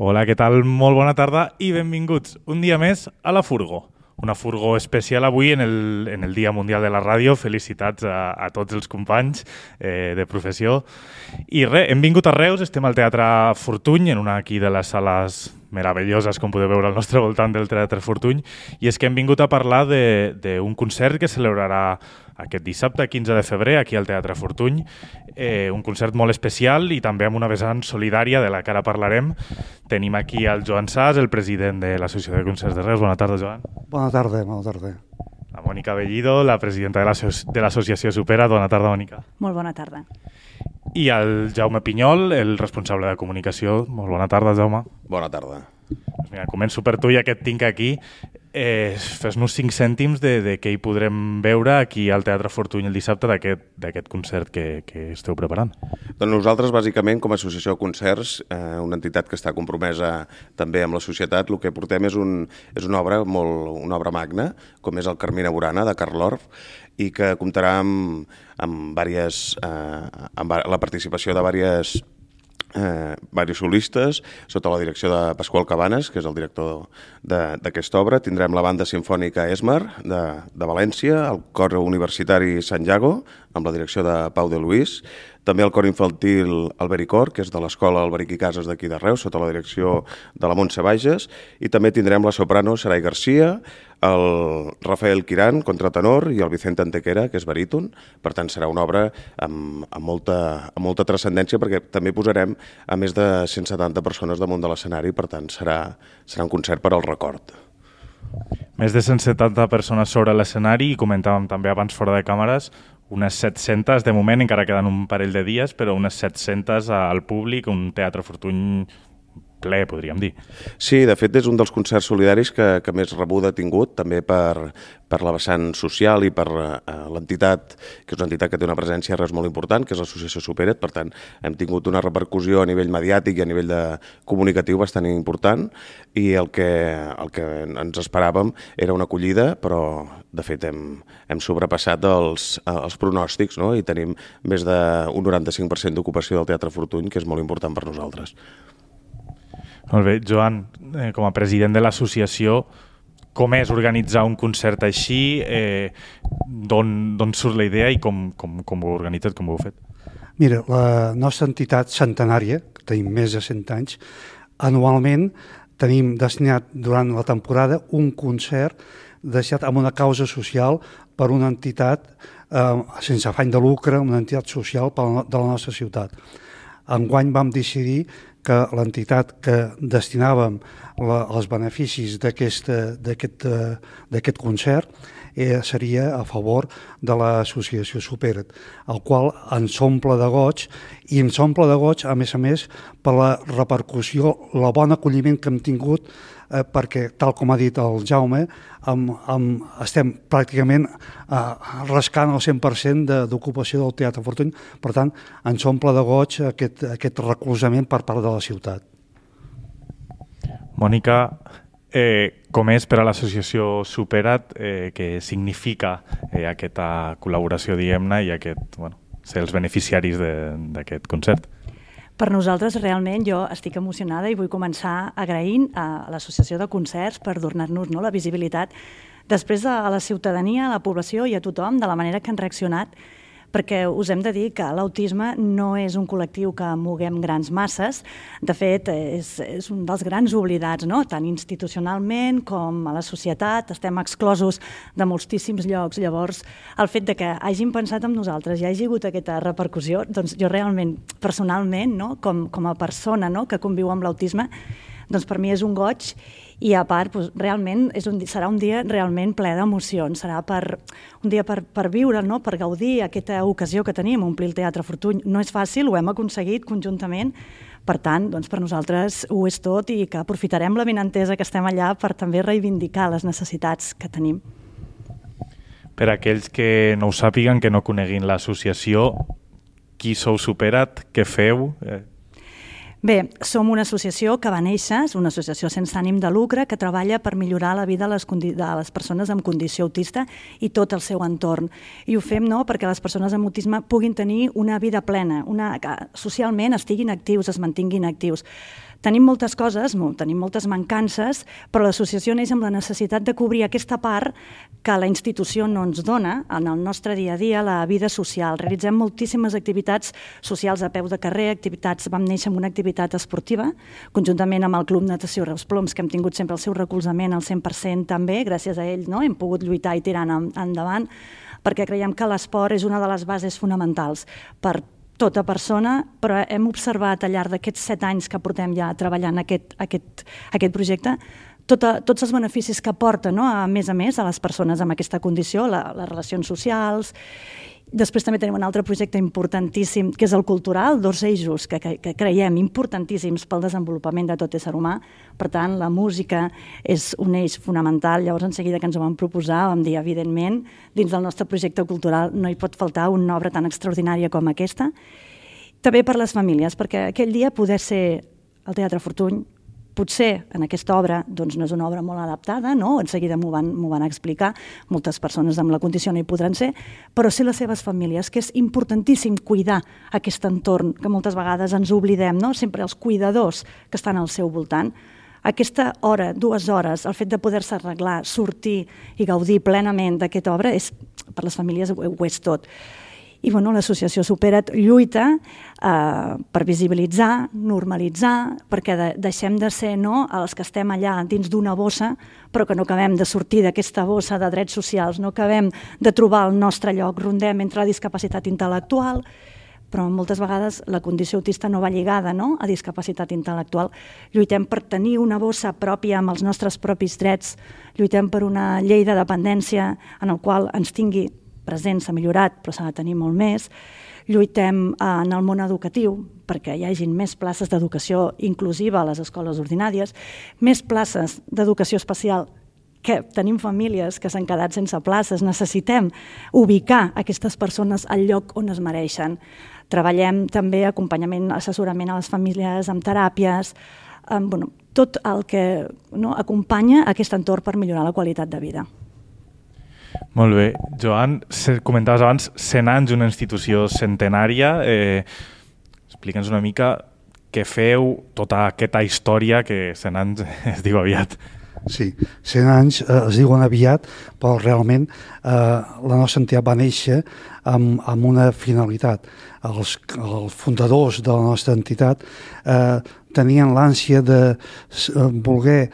Hola, què tal? Molt bona tarda i benvinguts un dia més a la Furgo. Una Furgo especial avui en el Dia Mundial de la Ràdio. Felicitats a tots els companys de professió. I res, hem vingut a Reus, estem al Teatre Fortuny, en una aquí de les sales meravelloses, com podeu veure al nostre voltant del Teatre Fortuny, i és que hem vingut a parlar d'un concert que celebrarà aquest dissabte, 15 de febrer, aquí al Teatre Fortuny, un concert molt especial i també amb una vessant solidària de la que ara parlarem. Tenim aquí el Joan Sas, el president de l'Associació de Concerts de Reus. Bona tarda, Joan. Bona tarda, bona tarda. La Mònica Bellido, la presidenta de l'Associació Supera. Bona tarda, Mònica. Molt bona tarda. I el Jaume Pinyol, el responsable de comunicació. Molt bona tarda, Jaume. Bona tarda. Doncs mira, començo per tu, ja que et tinc aquí. Fes-nos 5 cèntims de què hi podrem veure aquí al Teatre Fortuny el dissabte d'aquest concert que esteu preparant. Doncs nosaltres, bàsicament, com a associació de concerts, una entitat que està compromesa també amb la societat, el que portem és una obra magna, com és el Carmina Burana, de Carl Orff, i que comptarà amb la participació de diversos solistes, sota la direcció de Pasqual Cabanes, que és el director d'aquesta obra. Tindrem la banda sinfònica Esmar, de València, el cor universitari Sant Llago, amb la direcció de Pau de Luis, també el cor infantil Albericor, que és de l'Escola Alberic i Cases d'aquí de Reus, sota la direcció de la Montse Bages, i també tindrem la soprano Sarai Garcia, el Rafael Quirán, contratenor, i el Vicente Antequera, que és baríton. Per tant, serà una obra amb molta transcendència, perquè també posarem a més de 170 persones damunt de l'escenari, per tant, serà un concert per al record. Més de 170 persones sobre l'escenari, i comentàvem també abans fora de càmeres, unes 700 de moment, encara queden un parell de dies, però unes 700 al públic, un Teatre Fortuny ple, podríem dir. Sí, de fet és un dels concerts solidaris que més rebuda ha tingut, també per la vessant social i per l'entitat, que és una entitat que té una presència a Reus molt important, que és l'Associació Supera't. Per tant, hem tingut una repercussió a nivell mediàtic i a nivell comunicatiu bastant important, i el que ens esperàvem era una acollida, però de fet hem sobrepassat els pronòstics, no? I tenim més d'un 95% d'ocupació del Teatre Fortuny, que és molt important per nosaltres. Molt bé, Joan, com a president de l'associació, com és organitzar un concert així? D'on surt la idea i com ho heu organitzat, com ho heu fet? Mira, la nostra entitat centenària, que tenim més de 100 anys, anualment tenim destinat durant la temporada un concert destinat a una causa social per una entitat sense afany de lucre, una entitat social de la nostra ciutat. Enguany vam decidir que l'entitat que destinàvem els beneficis d'aquest concert seria a favor de l'associació Supera't, el qual ens omple de goig, i ens omple de goig, a més, per la repercussió, el bon acolliment que hem tingut, perquè, tal com ha dit el Jaume, estem pràcticament rascant el 100% d'ocupació del Teatre Fortuny. Per tant, ens omple de goig aquest recolzament per part de la ciutat. Mònica, com és per a l'associació Supera't, què significa aquesta col·laboració, diguem-ne, i ser els beneficiaris d'aquest concert? Per nosaltres, realment, jo estic emocionada i vull començar agraint a l'Associació de Concerts per donar-nos la visibilitat després a la ciutadania, a la població i a tothom de la manera que han reaccionat, perquè us hem de dir que l'autisme no és un col·lectiu que moguem grans masses. De fet, és un dels grans oblidats, tant institucionalment com a la societat. Estem exclosos de moltíssims llocs. Llavors, el fet que hagin pensat en nosaltres i hagi hagut aquesta repercussió, doncs jo realment, personalment, com a persona que conviu amb l'autisme, doncs per mi és un goig. I a part, realment serà un dia realment ple d'emocions, serà un dia per viure, per gaudir aquesta ocasió que tenim, omplir el Teatre Fortuny. No és fàcil, ho hem aconseguit conjuntament, per tant, per nosaltres ho és tot, i que aprofitarem la benentesa que estem allà per també reivindicar les necessitats que tenim. Per aquells que no ho sàpiguen, que no coneguin l'associació, qui sou Supera't, què feu? Bé, som una associació que va néixer, és una associació sense ànim de lucre que treballa per millorar la vida de les persones amb condició autista i tot el seu entorn. I ho fem perquè les persones amb autisme puguin tenir una vida plena, que socialment estiguin actius, es mantinguin actius. Tenim moltes coses, tenim moltes mancances, però l'associació neix amb la necessitat de cobrir aquesta part que la institució no ens dona en el nostre dia a dia, la vida social. Realitzem moltíssimes activitats socials a peu de carrer, vam néixer amb una activitat esportiva, conjuntament amb el Club Natació Reus Ploms, que hem tingut sempre el seu recolzament al 100% també, gràcies a ell hem pogut lluitar i tirar endavant, perquè creiem que l'esport és una de les bases fonamentals per tota persona, però hem observat al llarg d'aquests 7 anys que portem ja treballant aquest projecte, tots els beneficis que aporta, a més a les persones amb aquesta condició, les relacions socials. Després també tenim un altre projecte importantíssim, que és el cultural, 2 eixos que creiem importantíssims pel desenvolupament de tot ésser humà. Per tant, la música és un eix fonamental. Llavors, en seguida que ens ho vam proposar, vam dir, evidentment, dins del nostre projecte cultural no hi pot faltar una obra tan extraordinària com aquesta. També per les famílies, perquè aquell dia poder ser al Teatre Fortuny, potser en aquesta obra no és una obra molt adaptada, en seguida m'ho van explicar, moltes persones amb la condició no hi podran ser, però sí les seves famílies, que és importantíssim cuidar aquest entorn, que moltes vegades ens oblidem, sempre els cuidadors que estan al seu voltant. Aquesta hora, 2 hores, el fet de poder-se arreglar, sortir i gaudir plenament d'aquesta obra, per les famílies ho és tot. I l'associació Supera't lluita per visibilitzar, normalitzar, perquè deixem de ser els que estem allà dins d'una bossa, però que no acabem de sortir d'aquesta bossa de drets socials, no acabem de trobar el nostre lloc, rondem entre la discapacitat intel·lectual, però moltes vegades la condició autista no va lligada a discapacitat intel·lectual. Lluitem per tenir una bossa pròpia amb els nostres propis drets, lluitem per una llei de dependència en el qual ens tingui present, s'ha millorat, però s'ha de tenir molt més. Lluitem en el món educatiu perquè hi hagi més places d'educació inclusiva a les escoles ordinàries, més places d'educació especial, que tenim famílies que s'han quedat sense places, necessitem ubicar aquestes persones al lloc on es mereixen. Treballem també acompanyament, assessorament a les famílies, amb teràpies, tot el que acompanya aquest entorn per millorar la qualitat de vida. Molt bé. Joan, comentaves abans 100 anys, una institució centenària. Explica'ns una mica què feu, tota aquesta història, que 100 anys es diu aviat. Sí, 100 anys es diuen aviat, però realment la nostra entitat va néixer amb una finalitat. Els fundadors de la nostra entitat tenien l'ànsia de voler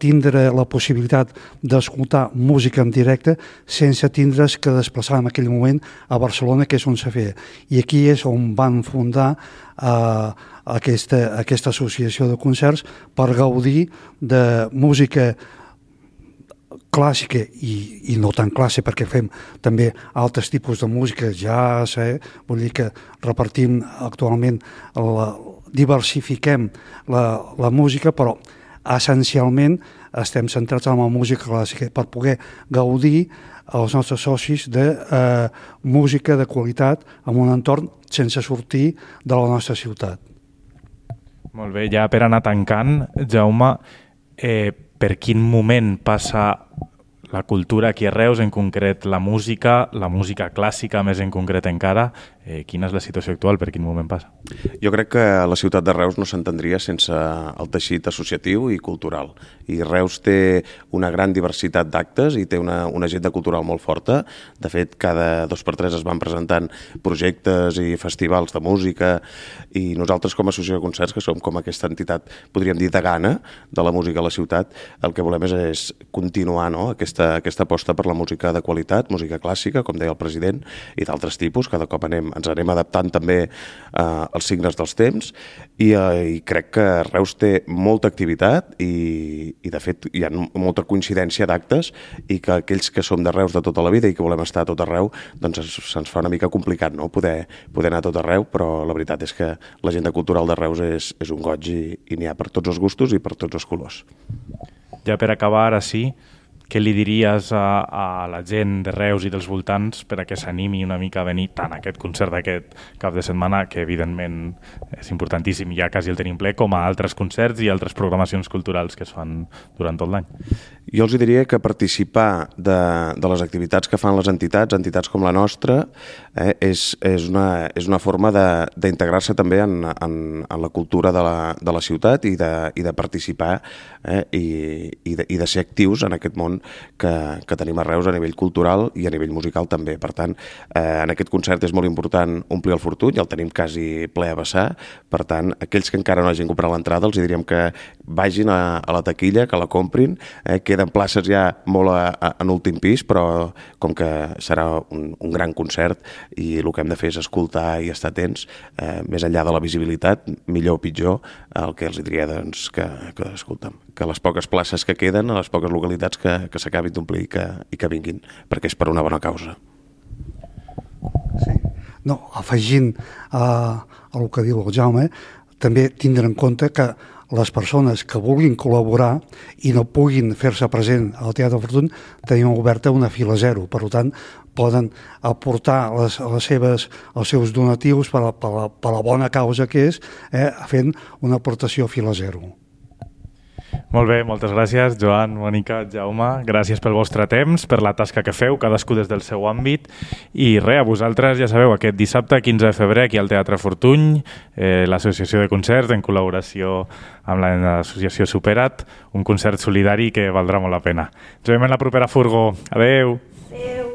tindre la possibilitat d'escoltar música en directe sense tindre's que desplaçar en aquell moment a Barcelona, que és on se feia. I aquí és on van fundar aquesta associació de concerts per gaudir de música clàssica i no tan clàssica, perquè fem també altres tipus de música, jazz, vull dir que repartim actualment, diversifiquem la música, però essencialment estem centrats en la música clàssica per poder gaudir els nostres socis de música de qualitat en un entorn sense sortir de la nostra ciutat. Molt bé, ja per anar tancant, Jaume, per quin moment passa la cultura aquí a Reus, en concret la música clàssica més en concret encara? Quina és la situació actual, per quin moment passa? Jo crec que la ciutat de Reus no s'entendria sense el teixit associatiu i cultural. I Reus té una gran diversitat d'actes i té una agenda cultural molt forta. De fet, cada 2x3 es van presentant projectes i festivals de música i nosaltres com a associació de concerts, que som com aquesta entitat, podríem dir, degana de la música a la ciutat, el que volem és continuar aquesta aposta per la música de qualitat, música clàssica, com deia el president, i d'altres tipus. Cada cop ens anem adaptant també als signes dels temps i crec que Reus té molta activitat i de fet hi ha molta coincidència d'actes i que aquells que som de Reus de tota la vida i que volem estar a tot arreu, doncs se'ns fa una mica complicat poder anar a tot arreu, però la veritat és que l'agenda cultural de Reus és un goig i n'hi ha per tots els gustos i per tots els colors. Ja per acabar, ara sí, què li diries a la gent de Reus i dels voltants per a que s'animi una mica a venir tant a aquest concert d'aquest cap de setmana, que evidentment és importantíssim, ja quasi el tenim ple, com a altres concerts i altres programacions culturals que es fan durant tot l'any? Jo els diria que participar de les activitats que fan les entitats com la nostra, és una forma d'integrar-se també en la cultura de la ciutat i de participar i de ser actius en aquest món que tenim a Reus a nivell cultural i a nivell musical també. Per tant, en aquest concert és molt important omplir el Fortuny, ja el tenim quasi ple a vessar. Per tant, aquells que encara no hagin comprat l'entrada els diríem que vagin a la taquilla, que la comprin, queden places ja molt en últim pis, però com que serà un gran concert i el que hem de fer és escoltar i estar atents, més enllà de la visibilitat, millor o pitjor, el que els diria que escolta'm, que les poques places que queden, a les poques localitats que s'acabin d'omplir i que vinguin, perquè és per una bona causa. Sí. No, afegint a el que diu el Jaume, també tindre en compte que les persones que vulguin col·laborar i no puguin fer-se present al Teatre Fortuny, tenim oberta una fila zero. Per tant, poden aportar els seus donatius per a la bona causa que és, fent una aportació a fila zero. Molt bé, moltes gràcies, Joan, Mònica, Jaume. Gràcies pel vostre temps, per la tasca que feu, cadascú des del seu àmbit. I res, a vosaltres, ja sabeu, aquest dissabte, 15 de febrer, aquí al Teatre Fortuny, l'Associació de Concerts, en col·laboració amb l'Associació Superat, un concert solidari que valdrà molt la pena. Ens veiem en la propera Furgo. Adeu! Adeu!